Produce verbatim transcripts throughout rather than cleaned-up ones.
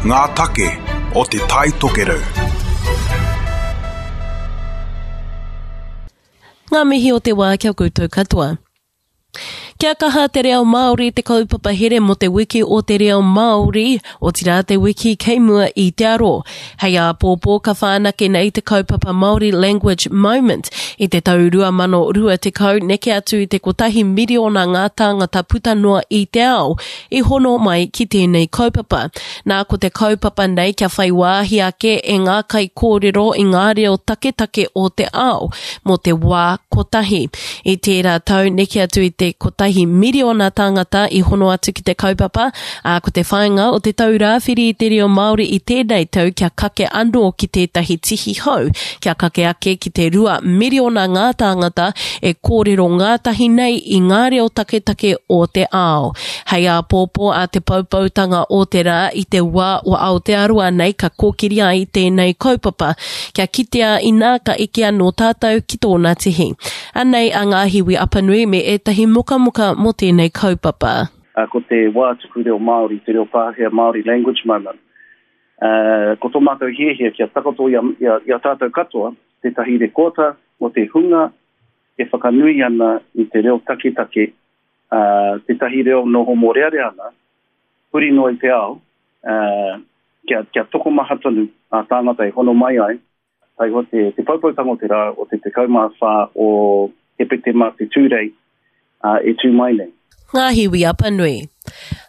Ngā take o Te Tai Tokerau. Ngā mihi o te wā kia koutou katoa. Kia kaha te reo Māori te kaupapa here mō te wiki o te reo Māori, otirā te wiki kei mua i te aro. Hei āpōpō ka whanake nei te kaupapa Māori Language Moment i te tau rua mano rua tekau neke atu i te kotahi miriona ngā tāngata puta noa i te ao i hono mai ki tēnei kaupapa. Nā ko te kaupapa nei kia whai wāhi ake e ngā kaikōrero i ngā reo taketake o te ao mō te wā kotahi. I tērā tau neke atu i te kotahi miriona tāngata i hono atu ki te kaupapa, ā, ko te whāinga o te tau rāwhiri i te reo Māori i tēnei tau kia kake anō ki tētahi tihi hou, kia kake ake ki te rua miriona ngā tāngata e kōrero ngātahi nei i ngā reo taketake o te ao. Hei āpōpō a te poupoutanga o te rā i te wā o Aotearoa nei ka kōkiri ai tēnei kaupapa, kia kitea inā ka eke anō tātou ki tōna tihi. Anei a Ngāhiwi Apanui me ētahi mokamoka mō tēnei kaupapa. Uh, ko te wā tuku reo Māori, te reo Pākehā Māori Language Moment. Uh, ko tō mātou hiahia kia takoto i a, i a, i a tātou katoa, tētahi rekota mō te hunga e whakanui ana i te reo taketake, uh, tētahi reo noho mōrearea ana, huri noa i te ao, uh, kia, kia tokomaha tonu a tāngata e hono mai ai, taihoa te, te poupoutanga o te rā o te tekau mā whā o Hepetema te Tūrei uh, e tū mai nei. Ngāhiwi Apanui.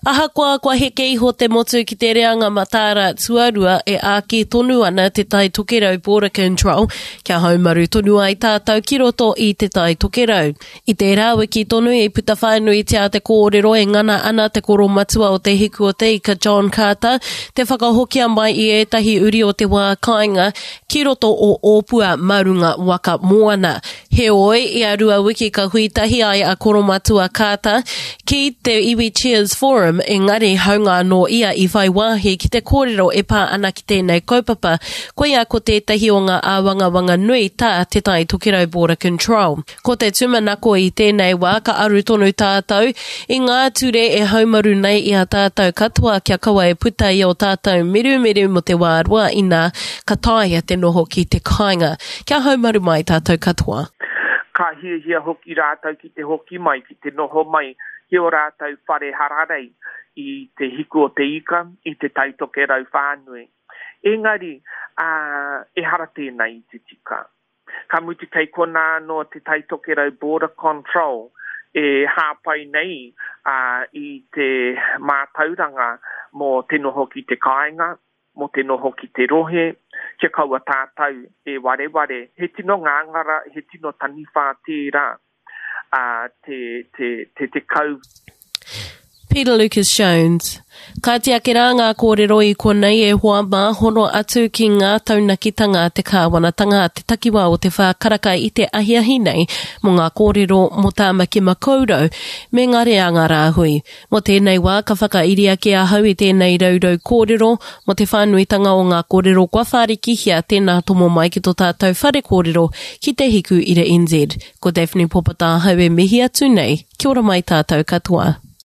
Ahakoa kua heke iho te motu ki te reanga mataara tuarua e āki tonu ana Te Tai Tokerau Border Control kia haumaru tonu ai tātou ki roto i Te Tai Tokerau. I tērā wiki tonu i puta whānuitia te kōrero e ngana ana te koromatua o Te Hiku o Te Ika John Carter te whakahokia mai i ētahi uri o te wā kāinga ki roto o Ōpua mā runga waka moana. Heoi, ia rua wiki ka hui tahi ai a Koromatua Carter ki te Iwi Cheers Forum, engari haunga anō ia i whai wāhi ki te kōrero e pā ana ki tēnei kaupapa, koia ko tētahi o ngā āwangawanga nui tā Te Tai Tokerau Border Control. Ko te tūmanako i tēnei wā ka aru tonu tātou i ngā ture e haumaru nei i a tātou katoa kia kaua e puta i ō tātou mirumiru mō te wā roa inā ka taea te noho ki te kāinga. Kia haumaru mai tātou katoa. Ka hiahia hoki rātou ki te hoki mai, ki te noho mai ki ō rātou whare hararei i te hiku o te ika, i te Tai Tokerau whānui. Engari, ā, ehara tēnā i te tika. Ka mutu kei konā anō te Tai Tokerau Border Control e hāpai nei ā, i te mātauranga mō te noho ki te kāinga, mō te noho ki te rohe, kia kaua tātou e wareware. He tino ngāngara, he tino taniwha tērā, ā, te, te, te tekau. Peter Lucas Jones. Kāti ake rā ngā kōrero i konei e hoa mā, hono atu ki ngā taunakitanga a te kāwanatanga a te takiwā o te whā karaka i te ahiahi nei mō ngā kōrero mō Tāmaki Makaurau me ngā reanga rāhui. Mō tēnei wā ka whakairi ake ahau i tēnei raurau kōrero mō te whānuitanga o ngā kōrero kua whārikihia tēnā tomo mai ki tō tātou whare kōrero ki Te Hiku Ira N Z. Ko Daphne Popata ahau e mihi atu nei. Kia ora mai tātou katoa.